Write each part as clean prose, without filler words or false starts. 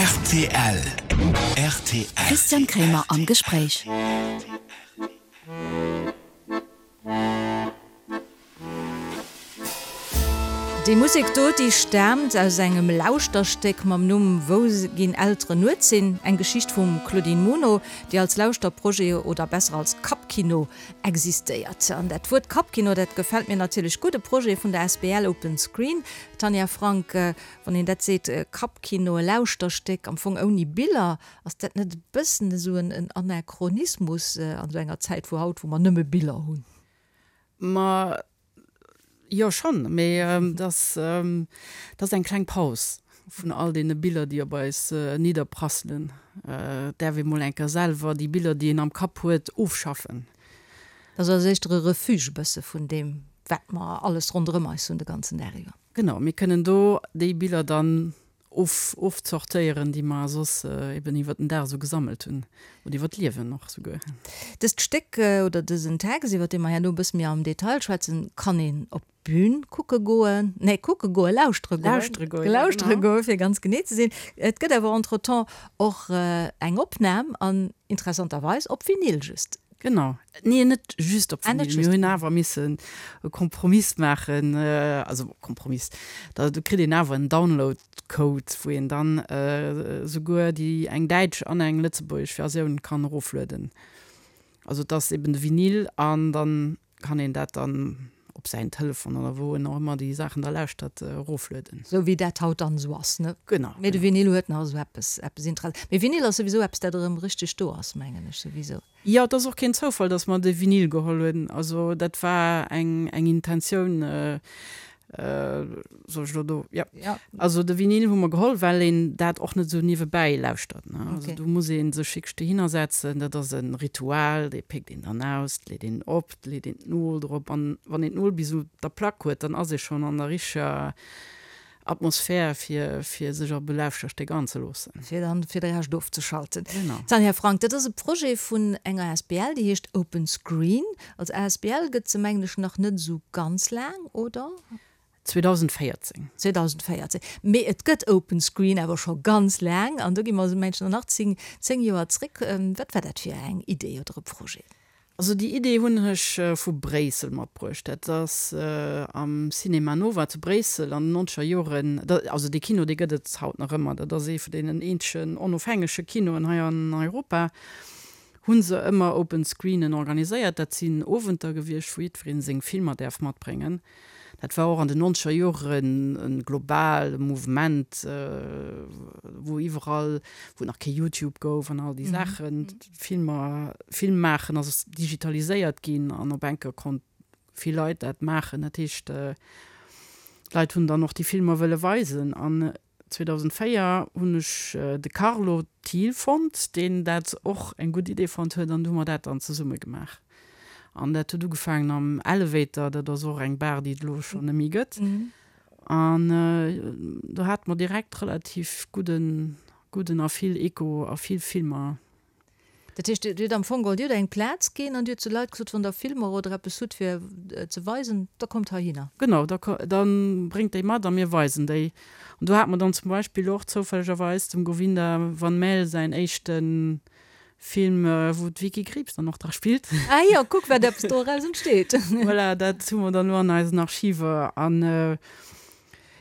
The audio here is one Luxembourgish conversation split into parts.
Rtl rtl. Christian Kremer am Gespréich. Déi Musek do, déi staamt aus engem Lauschterstéck mam Numm Wou ginn Elteren nuets hin? Eng Geschicht vum Claudine Muno, déi als Lauschterprojet oder besser als Kappkino existéiert. An dat Wuert Kappkino, dat gefält mir natierlech gutt. E Projet vun der asbl Open Screen. Tanja Frank, wann een dat seet, Kappkino, e Lauschterstéck am Fong ouni Biller, ass dat net e bëssen esou en Anachronismus an esou enger Zäit wou haut, wou mer nëmme Biller hunn? Ma jo schonn, mee et ass, et ass eng kleng Paus vun all deene Biller, déi op eis nidderprasselen. Et däerf ee mol eng Kéier selwer déi Biller, déi een am Kapp huet, ofschaffen. Dat ass also éischter e Refuge e bësse vun deem, wat mer alles ronderëm eis hunn de ganzen Dag iwwer. Genau, mir kënnen do déi Biller dann of, ofzortéieren, déi mer soss eben iwwer den Dag esou gesammelt hunn, oder iwwer d'Liewen och souguer. Dëst Stéck oder dësen Text, iwwer dee mer herno e bësse méi am Detail schwätzen, kann een op d'Bün kucke goen, nee, kucke goen, lauschtere goen, Lauschtere goen, ja, lauschtere genau. goen, fir ganz genee ze sinn. Et gëtt awer entretemps och eng Opnam an interessanterweis op Vinyl just. Genau. Nee, net just op Vinyl. Mir hunn awer missen e Kompromiss maachen, also Kompromiss, da kritt een awer en Download-Code, wou een dann esouguer déi eng däitsch an eng lëtzebuergesch Versioun kann eroflueden. Also et ass eben de Vinyl an dann kann een dat dann op säin Telefon oder wou en och ëmmer déi Saachen da lauschtert, eroflueden. Sou wéi dat haut dann esou ass, ne? Genau. Mee de Vinyl huet nach esou eppes, eppes Inter-, mee Vinyl ass souwisou eppes, dat erëm richteg do ass, mengen ech souwisou. Jo, et ass och keen Zoufall, dass mer de Vinyl geholl hunn. Also dat war eng, eng Intentioun, Soll ech elo do? Jo. Ja. Also de Vinyl hu mer geholl, well een dat och net esou niewebäi lauschtert, ne. Also Okay. do muss ee sech wierklech dohinner setzen, dat ass e Ritual, dee péckt een dann aus, leet een op, leet een d'Nol drop an wann een d'Nol bis u der Plack huet, dann ass ee schonn an der richteger Atmosphär, fir, fir sech op e Lauschterstéck anzeloossen. Fir dann fir de Rescht ofzeschalten. Genau. Tanja Frank, dat ass e Projet vun enger asbl, déi heescht Open Screen. Als asbl gëtt se mengen ech nach net esou ganz laang, oder? 2014. 2014. Mee et gëtt Open Screen awer scho ganz laang an do gi mer mengen ech nach 10, 10 Joer zréck. Wat war dat fir eng Idee oder e Projet? Also déi Idee hunn ech vu Bréissel matbruecht. Dat ass am Cinema Nova zu Bréissel an den nonzeger Joren, also dee Kino dee gëtt et haut nach ëmmer, dat ass ee vun deenen eenzegen onofhängege Kinoen hei an Europa, hu se ëmmer Open Screenen organiséiert. Dat sinn Owenter gewiescht, wou jiddweree seng Filmer däerf matbréngen. Dat war och an den nonzeger Joren e globale Mouvement, wou iwwerall, wou et nach kee Youtube gouf an all déi Saachen, d'Filmer, Film maachen ass digitaliséiert ginn an op eng Kéier konnt vill Leit dat maachen. Dat heescht, d'Leit hunn dann och déi Filmer wëlle weisen. An 2004 hunn ech de Carlo Thiel fonnt, deen dat och eng gutt Idee fonnt huet an du hu mer dat dann zesumme gemaach. An dat huet ugefaangen am Elevator, dat ass och eng Bar, déi et elo schonn net méi gëtt. An do hate mer direkt relativ gudden, gudden a vill Echo a vill Filmer. Dat heescht, Dir hutt am Fong geholl, Dir hutt eng Plaz ginn an Dir hutt zu Leit gesot, wann Der Filmer oder eppes hutt fir ze weisen, da kommt heihinner. Genau, da bréngt déi mat a mir weisen déi. An do hate mer dann zum Beispill och zoufällegerweis dem Govinda Van Maele säin éischte Film, wou d'Vicky Krieps dann och dra spillt. Ah jo, kuck wat eppes doraus entsteet. Voilà, dat hu mer dann elo an eisen Archiver. An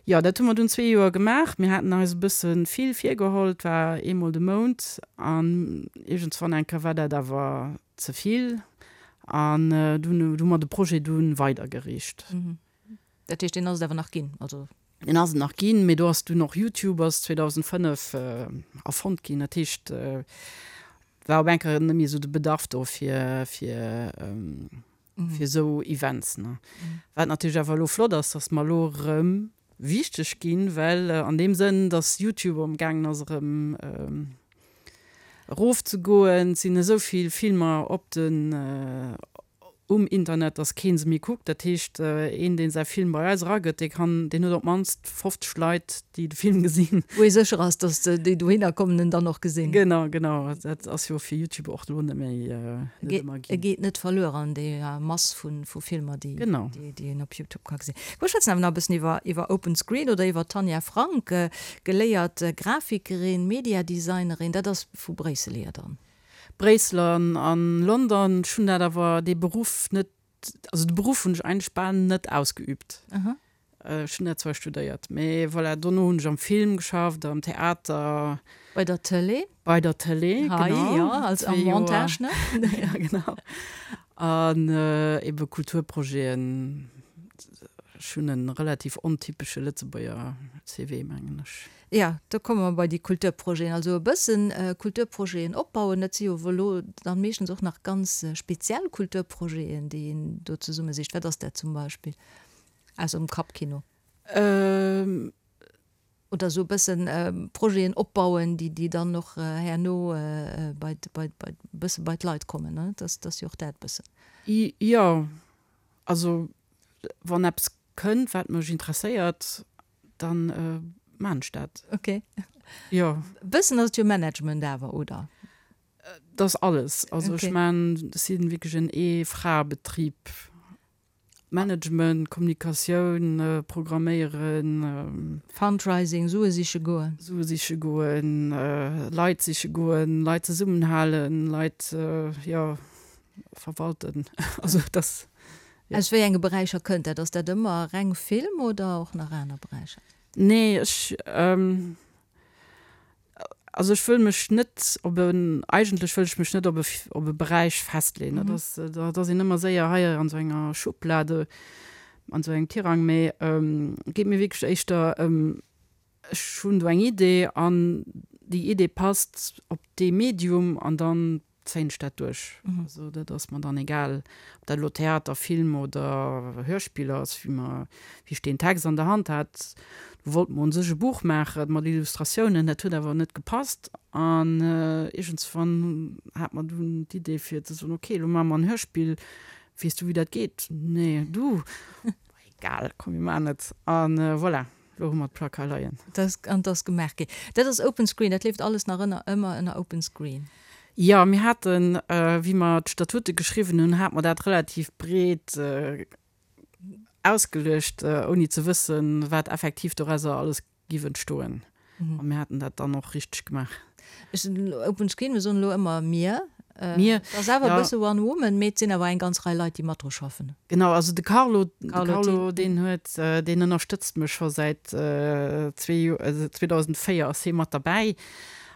Jo, dat hu mer dunn zwee Joer gemaach. Mir haten eis e bësse vill virgeholl, et war eemol de Mount an iergendswann eng Kéier war dat awer ze vill an dunn hu mer de Projet dunn weidergereecht. Dat heescht, deen ass et awer nach ginn, also? Deen ass et nach ginn, mee do ass dunn och YouTube ass 2005 erfonnt ginn. Dat heescht, et war op eng Kéier net méi esou de Bedarf do fir fir fir esou Events. Ne? Wat natierlech awer elo flott ass, dass mer elo erëm wichteg ginn, well an deem Sënn, dass YouTube amgaangen ass erëm erofzegoen, et sinn esou vill Filmer op den. Um Internet, dass keen se méi kuckt. Dat heescht, een, deen säi Film bei eis eragëtt, dee kann, deen huet op d'mannst 50 Leit, déi de Film gesinn. Wou ee sécher ass, dass déi dohinner kommen, en dann och gesinn. Genau, genau. Dat ass jo fir YouTube och elo net méi, net ëmmer ginn. E geet net verluer an deeër Mass vu Filmer, déi, déi een op YouTube ka gesinn. Mir schwätzen awer nach e bëssen iwwer, iwwer Open Screen oder iwwer d'Tanja Frank, geléiert Grafikerin, Mediadesignerin. Dat ass vu Bréissel hier dann? Bréissel an an London. Ech hunn dat awer dee Beruff net, also de Beruff hunn ech eigentlech bal net ausgeübt. Ech hunn dat zwar studéiert, mee voilà, dono hunn ech am Film geschafft, am Theater. Bei der Tëlee? Bei der Tëlee, genau. Hei, jo, als am Montage, ne? Ja, genau. An ebe Kulturprojeten. Ech hunn e relativ ontypesche Lëtzebuerger CV, mengen ech. Jo, do komme mer bei déi Kulturprojeten. Also e bëssen Kulturprojeten opbauen, dat si jo elo dann meeschtens och nach ganz speziell Kulturprojeten, déi een do zesummesicht. Wat ass dat zum Beispill ausser dem Kappkino? Oder esou e bëssen Projeten opbauen, déi déi dann och herno bei bei bei bësse bei d'Leit kommen, ne? Dat ass jo och dat bëssen. Jo, also wann eppes kënnt, wat mech interesséiert, Dann maan ech dat. Ok. Jo. Bëssen ass et jo Management awer, oder? Dat ass alles. Also ech maan, ech sinn wierklech en Ee-Fra-Betrib. Management, Kommunikatioun, Programméieren. Fundraising, Sue siche goen. Sue siche goen, Leit siche goen, Leit zesummenhalen, Leit, jo. Verwalten, also dass, jo. Aus wéi enge Beräicher kënnt dat? Ass dat ëmmer reng Film oder och nach aner Beräicher? Nee, ech, also ech wëll mech net op en, eigentlech wëll ech mech net op e, op e Beräich festleeën. Dat ass, da ass een ëmmer séier hei an esou enger Schublade, an esou engem Tirang, mee et geet mir wierklech éischter ëm, ech hunn do eng Idee an déi Idee passt op dee Medium an dann zéien ech dat duerch. Also dat ass mer dann egal, ob dat elo Theater, Film oder Hörspill ass, wéi mer, wéi ech deen Text an der Hand hat. Do wollte mer un sech e Buch maachen mat Illustratiounen, dat huet awer net gepasst an iergendswann hat mer dunn d'Idee fir ze soen, ok, elo maache mer en Hörspill, weess du wéi dat geet? Nee, du? Egal, komm mir maachen et an voilà. Lo hu mer d'Plack hei leien. Dat an 't ass gemaach ginn. Dat ass Open Screen, dat leeft alles nach ënner, ëmmer ënner Open Screen. Jo, mir haten, wéi mer d'Statute geschriwwen hunn, hate mer dat relativ breet ausgeluecht, ouni ze wëssen, wat effektiv dorauser alles giff entstoen. A mir haten dat dann och richteg gemaach. Ech sinn elo Open Screen, mir soen elo ëmmer mir. Mir, Et ass awer e bësse One Woman, mee et sinn awer eng ganz Rei Leit, déi mat dru schaffen. Genau, also de Carlo, de Carlo, deen huet, deen ënnerstëtzt mech scho säit zwee Joer, also 2004 ass hie mat derbäi.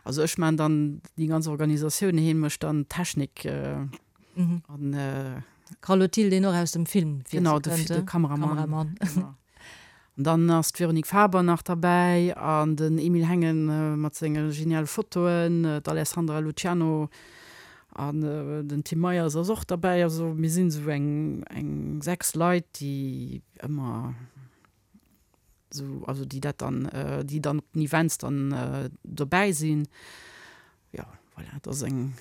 Also ech maachen dann déi ganz Organisatioun, hie mécht dann d'Technik an. Carlo Thill, deen och aus dem Film Genau, de Kameramann. Genau. An dann ass d'Véronique Faber nach derbäi an den Emile Hengen mat senge geniale Fotoen, d'Alessandra Luciano an den Tim Meyers ass och derbäi. Also mir sinn esou eng eng 6 Leit, déi ëmmer esou, also déi dat dann, déi dann op den Events dann dobäi sinn. Jo, voilà, et ass eng.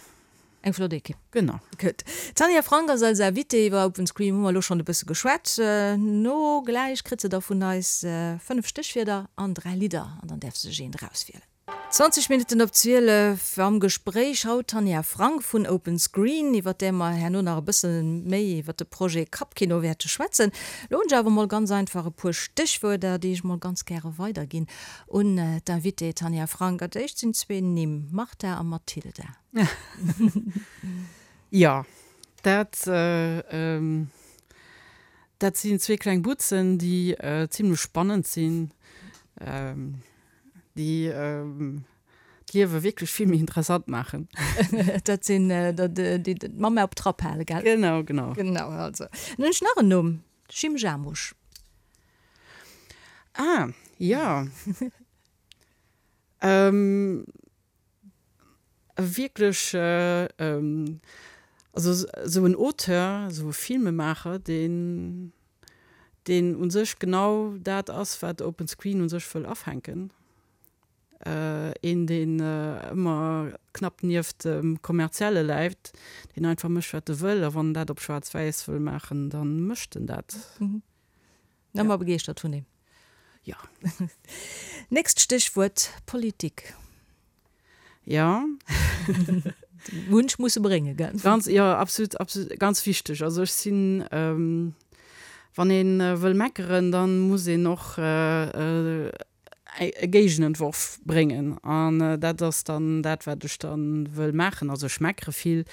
Eng flott Ekipp. Genau. Gutt. D'Tanja Frank ass eis Invitée. Iwwer Open Screen hu mer elo schonn e bësse geschwat. No gläich kritt se da vun eis 5 Stéchwierder an 3 Lidder an dann däerf se sech eent erauswielen. 20 Minutten op 12 am Gespréich haut d'Tanja Frank vun Open Screen, iwwer där mer herno nach e bësse méi iwwer de Projet Kappkino wäerte schwätzen. Elo hunn ech awer mol ganz einfach e puer Stéchwuerder, déi ech mol ganz gäre weiderginn Un d'Invitée Tanja Frank. Als éischt sinn zwee Nimm, Martha a Mathilda. Jo, dat, dat sinn zwee kleng Butzen, déi zimlech spannend sinn, déi d'Liewe wierklech vill méi interessant maachen. Dat sinn déi d'Mamma op Trapp halen, gell? Genau, genau. Genau, also. Dann hunn ech nach en Numm, Jim Jarmusch. Ah, jo. E wierklech, also esou en Auteur, esou e Filmemaacher, deen, deen u sech genau dat ass, wat Open Screen u sech wëll afänken. Een, deen ëmmer. knapp nieft dem Kommerzielle läit, deen einfach mécht, wat e wëll. A wann en dat op schwaarz-wäiss wëll maachen, da mécht en dat. Ëmmer begeeschtert vun him. Jo. Nächst Stéchwuert, Politik. Jo. Wunsch musse bréngen, gell? Ganz, jo, absolut, absolut, ganz wichteg. Also ech sinn, wann ee wëll meckeren, da muss een och e Géigenentworf bréngen. An dat ass dann dat, wat ech da wëll maachen. Also ech meckere vill,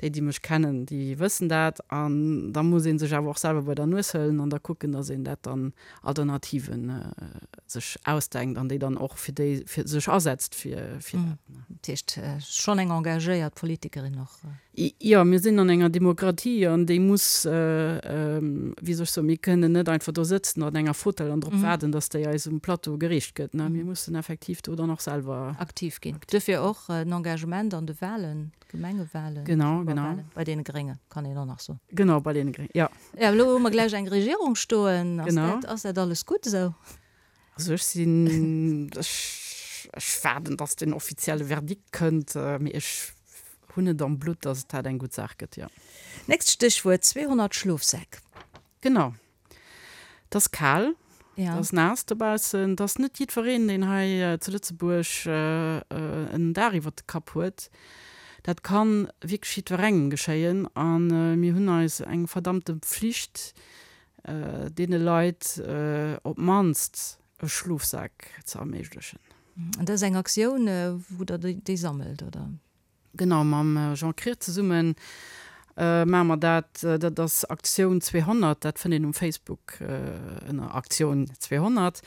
déi, déi mech kennen, déi wëssen dat. An da muss ee sech awer och selwer bei der Nues hëllen an da kucken, datt een dat dann Alternativen sech ausdenkt an déi dann och fir déi fir sech asetzt fir fir dat. Dat heescht schonn eng engagéiert Politikerin och? Jo, mir sinn an enger Demokratie an déi muss, wéi soll ech soen, mir kënnen net einfach do sëtzen an enger Fotell an drop waarden, datt déi eis um Plateau gereecht gëtt. Mir mussen effektiv do dann och selwer aktiv ginn. Duerfir och den Engagement an de Wahlen. Gemengewahlen, genau, genau. Bei deene Grénge kann een och nach soen. Genau, bei deene Gréngen, jo. Jo, elo hu mer gläich eng Regierung stoen. Ass genau. dat, ass dat alles gutt esou? Also ech sinn, ech, ech waarden, datt den offizielle Verdikt kënnt, mee ech hunn et am Blutt, datt dat eng gutt Saach gëtt, jo. Nächst Stéchwuert, 200 Schlofsäck. Genau. Et ass kal, et ass naass dobaussen. Et ass net jiddwereen, deen hei zu Lëtzebuerg en Daach iwwert de Kapp huet. Dat ka wierklech jiddwerengem geschéien a mir hunn eis eng verdammte Pflicht, deene Leit op d'mannst e Schlofsak ze erméiglechen. An dat ass eng Aktioun, wou Der déi sammelt, oder? Genau, mam Jean Krier zesumme maache mer dat. Dat ass Aktioun 200, dat fënnt een um Facebook ënner Aktioun 200.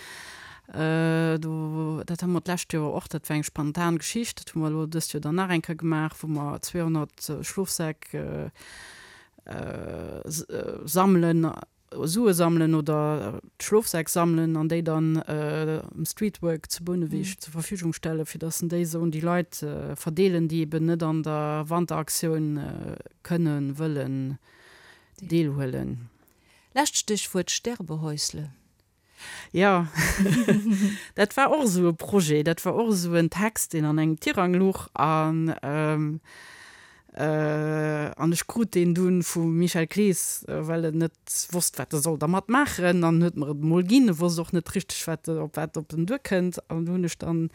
Do, dat hu mer d'lescht Joer och, dat war eng spontan Geschicht, dat hu mer elo dëst Joer dann nach eng Kéier gemaach, wou mer 200 Schlofsäck sammelen. Sue sammelen oder Schlofsäck sammelen an déi dann um Streetwork zu Bouneweg zur Verfügung stellen, fir dass en déi esou un déi Leit verdeelen, déi eben net an der Wanteraktioun kënnen, wëllen deelhuelen. Lescht Stéchwuert, Sterbehäusle. Jo, dat war och esou e Projet, dat war och esou en Text, deen an engem Tirang luch an an ech krut deen dunn vum Michel Clees, well en net wosst, wat e soll dermat maachen an huet mer et emol ginn. E wosst och net richteg, wat op wat op en duerkënnt an du hunn ech dann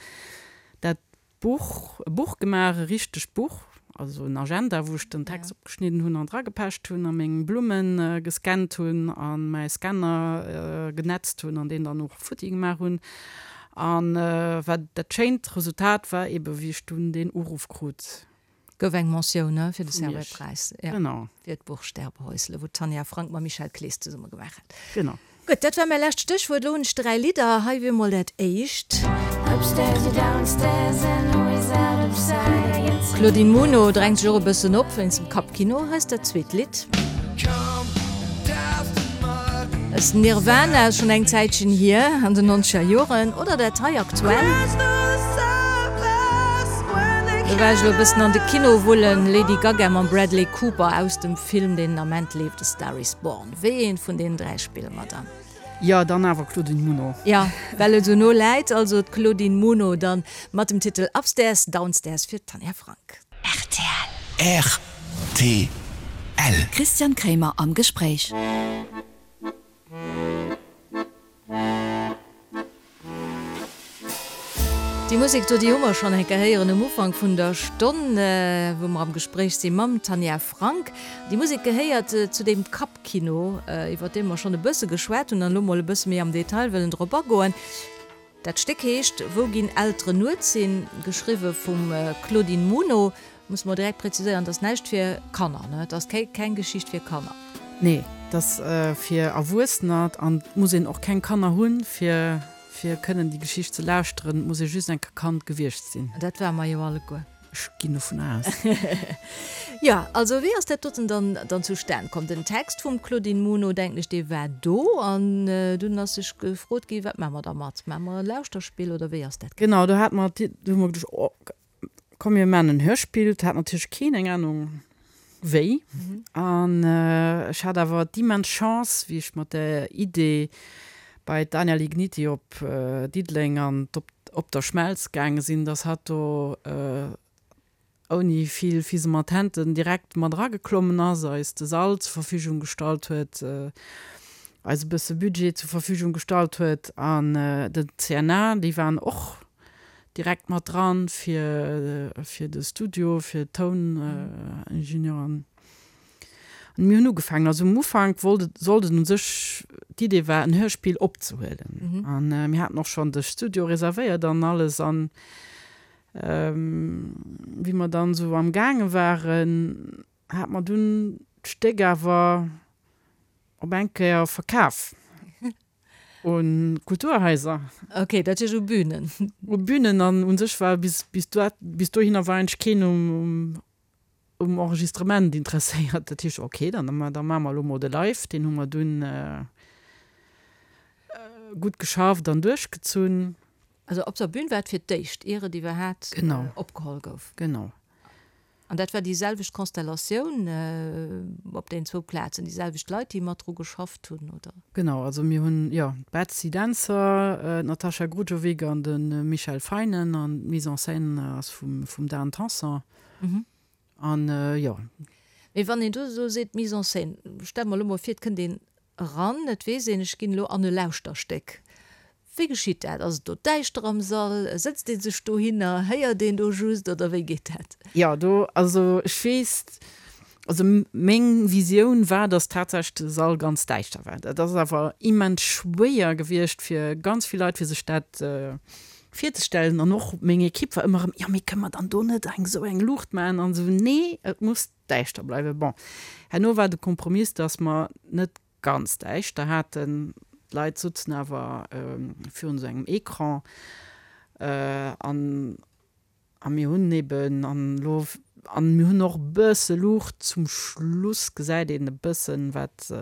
dat Buch, e Buch gemaach, e richtegt Buch, also en Agenda, wou ech den Text opgeschnidden hunn an dragepecht hunn a meng Blumme gescannt hunn a mäi Scanner genetzt hunn an deen dann och futti gemaach hunn. A wat dat schéint Resultat war eebe wéi ech dunn deen Uruff krut. Gouf eng Mentioun fir de Servais-Präis, jo, Genau. fir d'Buch Sterbehäusle, wou d'Tanja Frank mam Michel Clees zesumme gemaach hat. Genau. Gutt, dat war mäi lescht Stéchwuert. Elo hunn ech 3 Lidder. Hei wier mol dat éischt. D'Claudine Muno drängt sech och e bëssen op wéinst dem Kappkino. Hei ass dat zweet Lidd. Ass Nirvana, schonn eng Zäitchen hier, an den nonzeger Joren, oder dat hei aktuell? Do war ech elo e bëssen an de Kino wullen, Lady Gaga mam Bradley Cooper aus dem Film, deen den Ament leeft, A Star Is Born. Wéi eent vun deenen 3 spille mer dann? Jo, dann awer Claudine Muno. Jo, well et esou no läit, also d'Claudine Muno dann mat dem Titel Upstairs, Downstairs fir d'Tanja Frank. Rtl. Rtl. Christian Kremer am Gespréich. Déi Musek do, déi hu mer schonn eng Kéier héieren um Ufank vun der Stonn, wou mer am Gespréich si mam Tanja Frank. Déi Musek gehéiert zu deem Kappkino, iwwer dee mer schonn e bësse geschwat hunn an elo mol e bësse méi am Detail wëllen drop agoen. Dat Stéck heescht Wou ginn Elteren nuets hin, geschriwwe vum Claudine Muno. Musse mer direkt präziséieren, et ass näischt fir Kanner, ne? Et ass keng Geschicht fir Kanner. Nee, et ass fir Erwuessener an et muss een och keng Kanner hunn, fir fir kënnen déi Geschicht ze lauschteren. Et muss ee just eng Kéier Kand gewiescht sinn. Dat ware mer jo alleguer. Ech ginn dovun aus. Jo, also wéi ass dat doten dann dann zustan komm? Den Text vum Claudine Muno, denken ech, dee war do an dunn ass sech gefrot gi, wat maache mer dermat? Maache mer e Lauschterspill oder wéi ass dat gaangen? Genau, do hate mer, do hu mer geduecht, oh komm mir maachen en Hörspill. Et hat natierlech keen eng Anung wéi. An ech hat awer d'immens Chance, wéi ech mat der Idee bei d'Anja Ligniti op Diddeleng an d'Op Op der Schmelz gaange sinn, dass hatt do. ouni vill Fisematenten direkt mat erageklommen ass, eis de Sall zur Verfügung gestallt huet, eis e bësse Budget zur Verfügung gestallt huet an den CNA, déi waren och direkt mat dran fir fir de Studio, fir d'Touningenieur an mir hunn ugefaangen. Also um Ufank wollt et, sollt et u sech, d'Idee war en Hörspill opzehuelen an mir haten och schonn de Studio reservéiert an alles an Wéi mer dann esou am gaange waren, hat mer dunn d'Stéck awer op eng Kéier verkaf un Kulturhaiser. Ok, dat heescht u Bünen. U Bünen an u sech war bis bis bis dohinner war eigentlech keen um um Enregistrement interesséiert. Dat heescht, ok, dann da maache mer elo mol de Live. Deen hu mer dunn gutt geschafft an duerchgezunn. Also op der Bühn war et fir d'éischt, ier et iwwerhaat opgeholl gouf. Genau. An dat war déi selwecht Konstellatioun op den zwou Plazen, déi selwecht Leit, déi mat dru geschafft hunn, oder? Genau, also mir hunn, jo, d'Betsy Dentzer, d'Natasha Grujovic an de Michel Feinen an d'Mise en scène ass vum Dan Tanson. An jo. Mee wann een do esou seet, Mise en scène, stelle mer elo mol vir, et kënnt een eran, et weess een, ech ginn elo an e Lauschterstéck. Wéi geschitt dat? Ass et do däischter am Sall? Sëtzt ee sech dohinner? Héiert een do just oder wéi geet dat? Jo, do, also ech weess, also meng Visioun war, datt tatsächlech de Sall ganz däischter war. Dat ass awer immens schwéier gewiescht fir ganz vill Leit, fir sech dat virzestellen. An och meng Ekipp war ëmmer erëm, jo mee kënne mer dann do net eng esou eng Luucht maachen an esou. Nee, et muss däischter bleiwen. Bon, herno war de Kompromiss, datt mer net ganz däischter haten. D'Leit sutzen awer virun esou engem Ecran an a mir hunn eben an elo an mir hunn och e bësse Luucht. Zum Schluss gesäit een e bëssen, wat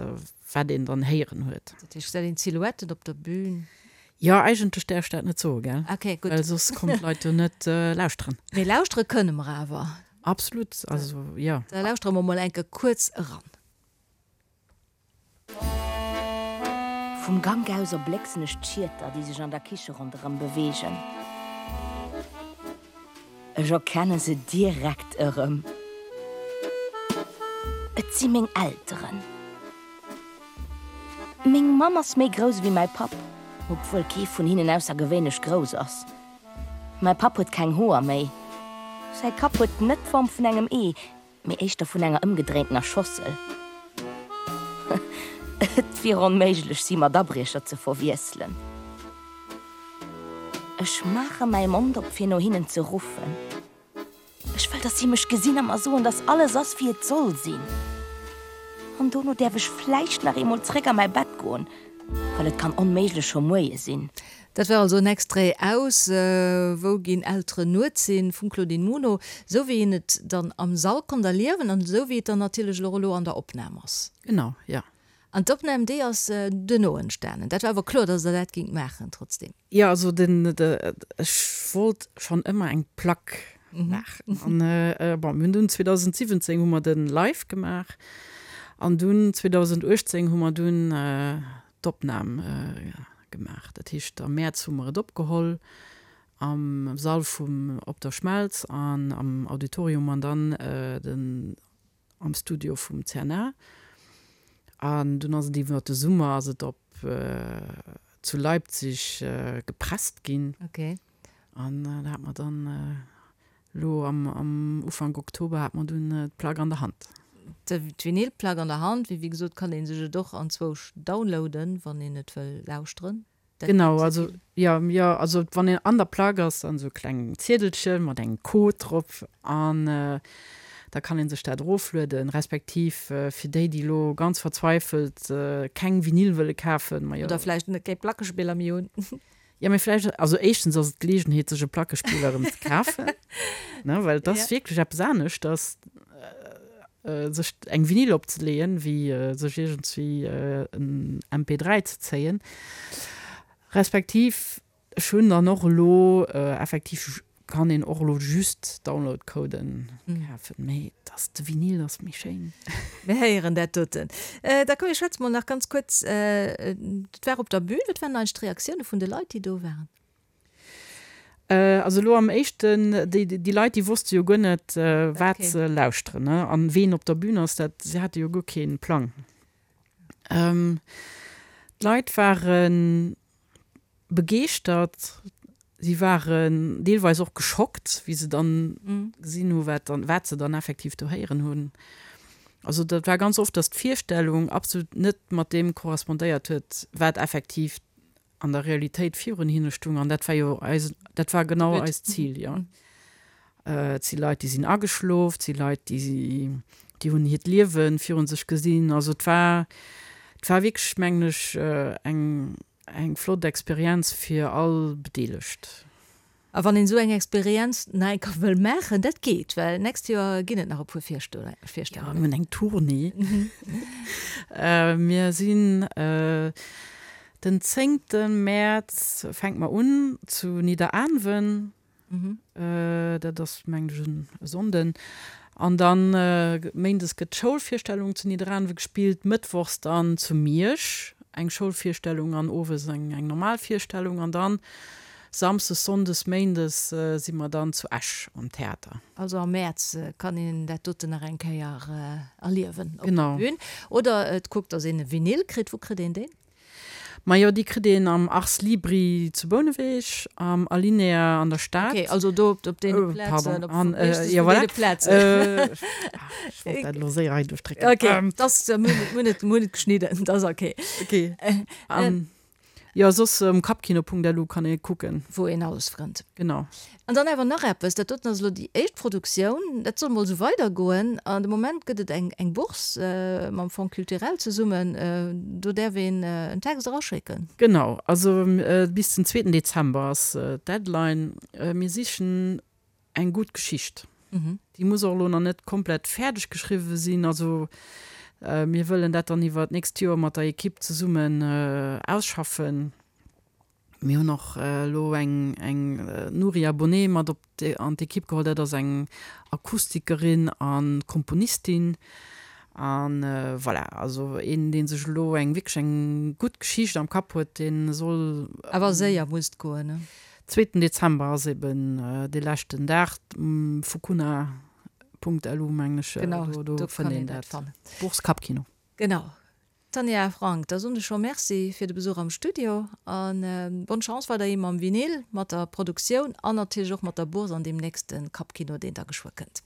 wat een dann héieren huet. Dat heescht, gesäit een d'Silhouetten op der Bühn? Jo, eigentlech däerf ech dat net soen, gell? Okay, gutt. Well soss kommen d'Leit jo net lauschteren. Mee lauschtere kënne mer awer. Absolut, also jo. Da lauschtere mer mol enke kuerz eran. Vum Gank aus erblécksen ech d'Schieter, déi sech an der Kiche ronderëm beweegen. Ech erkenne se direkt erëm. Et si meng Elteren. Meng Mamm ass méi grouss ewéi mäi Papp, obwuel kee vun hinnen aussergewéinlech grouss ass. Mäi Papp huet keng Hoer méi. Säi Kapp huet net d'Form vun engem Ee, mee éischter vun enger ëmgedréintener Schossel. Et wier onméiglech, si mat Abriecher ze verwiesselen. Ech maache mäi Mond op, fir no hinnen ze ruffen. Ech wëll, dass si mech gesinn a mer soen, dass alles ass, wéi et soll sinn. An dono däerf ech vläicht nach eemol zréck a mäi Bett goen, well et kann onméiglech scho Moie sinn. Dat war also en Extrait aus Wou ginn Elteren nuets hin? vum Claudine Muno, esou wéi een et dann am Sall konnt erliewen an esou wéi et dann natierlech och elo an der Opnam ass. Genau, jo. An d'Opnam, déi ass duerno entstanen. Dat war awer kloer, datt Der dat gingt maachen trotzdem. Jo, also den, ech wollt schonn ëmmer eng Plack maachen. An bon, mir hunn dunn 2017 hu mer de Live gemaach an dunn 2018 hu mer dunn d'Opnam gemaach. Dat heescht am Mäerz hu mer et opgeholl am Sall vum Op der Schmelz an am Auditorium an dann den am Studio vum CNA. An dunn ass et iwwer de Summer ass et op zu Leipzig gepresst ginn. Okay. An da hat mer dann Elo am Ufank Oktober hat mer dunn d'Plack an der Hand. D'Vinylplack an der Hand, wéi gesot kann ee sech et och anzwousch downloaden, wann een et wëll lauschteren. Genau, also jo, jo, also wann een an der Plack ass, dann esou e klengen Ziedelche mat engem Code drop an da kann ee sech dat eroflueden, respektiv fir déi, déi elo ganz verzweifelt keng Vinyl wëlle kafen, ma jo. Oder vläicht net kee Plackespiller méi hunn. Jo, mee vläicht, also éischtens ass et d'Geleegenheet, sech e Plackespiller erëm ze kafen, ne, well et ass wierklech eppes aneschters, sech eng Vinyl opzeleeën, wéi sech iergendswéi en MP3 ze zéien. Respektiv, ech hunn dann och elo effektiv Kann een och elo just Download-Coden kafen, mee dass de Vinyl ass méi schéin. Mir héieren dat doten. Da komm mir schwätze mol nach ganz kuerz, dat war op der Bühn, wat waren eigentlech d'Reaktioune vun de Leit déi do waren? Also elo am éischten, déi, déi Leit, déi wosste jo guer net, wat se lauschteren, ne, an ween op der Bühn ass, dat, si hate jo guer kee Plang. D'Leit ware begeeschtert, si waren deelweis och geschockt, wéi se dann gesinn hu wat dann, wat se dann effektiv do héieren hunn. Also dat war ganz oft, datt d'Virstellung absolut net mat deem korrespondéiert huet, wat effektiv an der Realitéit virun hinne stung, an dat war jo eis, dat war genau eist Zil, jo. Et si Leit, déi sinn ageschlof, et si Leit, déi, déi hunn hiert Liewe virun sech gesinn. Also et war, et war wierklech, mengen ech, eng, eng flott Experienz fir all Bedeelegt. A wann een esou eng Experienz nach eng Kéier wëll maachen, dat geet, well d'nächst Joer ginn et nach e puer Virstellungen. Jo, mir hunn eng Tournée. Mir sinn den zéngte Mäerz fänke mer un zu Nidderaanwen. Dat ass, mengen ech, e Sonnden. An dann méindes gëtt d'Schoulvirstellung zu Nidderaanwe gespillt, mëttwochs dann zu Miersch eng Schoulvirstellung an owes eng normal Virstellung. An dann Samsdes, Sonndes, Méindes si mer dann zu Esch am Theater. Also am Mäerz kann een dat doten nach eng Kéier erliewen op der Bühn. Oder et kuckt, dass een e Vinyl kritt. Wou kritt een deen? Majo, déi kritt een am Ars Libri zu Bouneweg, am Alinea an der Stad. Ok, also do op deene Plazen, op deene Plazen. Ech wollt dat elo séier hei duerchdrécken. Ok, dass, mir hunn et, mir hunn et geschnidden, dat ass ok. Ok. Jo, soss um kappkino.lu kann ee kucken. Wou een alles frënnt. Genau. An dann awer nach eppes, dat doten ass elo déi éischt Produktioun, dat soll mol esou weidergoen. An de Moment gëtt et eng eng Bourse mam Fonds culturel zesummen, do däerf een en Text eraschécken. Genau, also bis den zweeten Dezember ass d'Deadline. Mir sichen eng gutt Geschicht. Déi muss och elo nach net komplett fäerdeg geschriwwe sinn. Also mir wëllen dat dann iwwer d'nächst Joer mat der Ekipp zesummen ausschaffen. Mir hunn och elo eng eng Nuria Bonnet mat op an d'Ekipp geholl. Dat ass eng Akustikerin a Komponistin. A voilà, also een, dee sech elo eng wierklech eng gutt Geschicht am Kapp huet, dee soll. Awer séier muss et goen, ne? Zweeten Dezember ass eben dee leschten Dag. Fukuna.lu mengen ech, do fënnt een dat. Bourse Kappkino. Genau. Tanja Frank, da soen ech scho Merci fir de Besuch am Studio a bonne Chance weiderhi mam Vinyl, mat der Produktioun an natierlech och mat der Bourse an deem nächste Kappkino, deen da geschwë kënnt.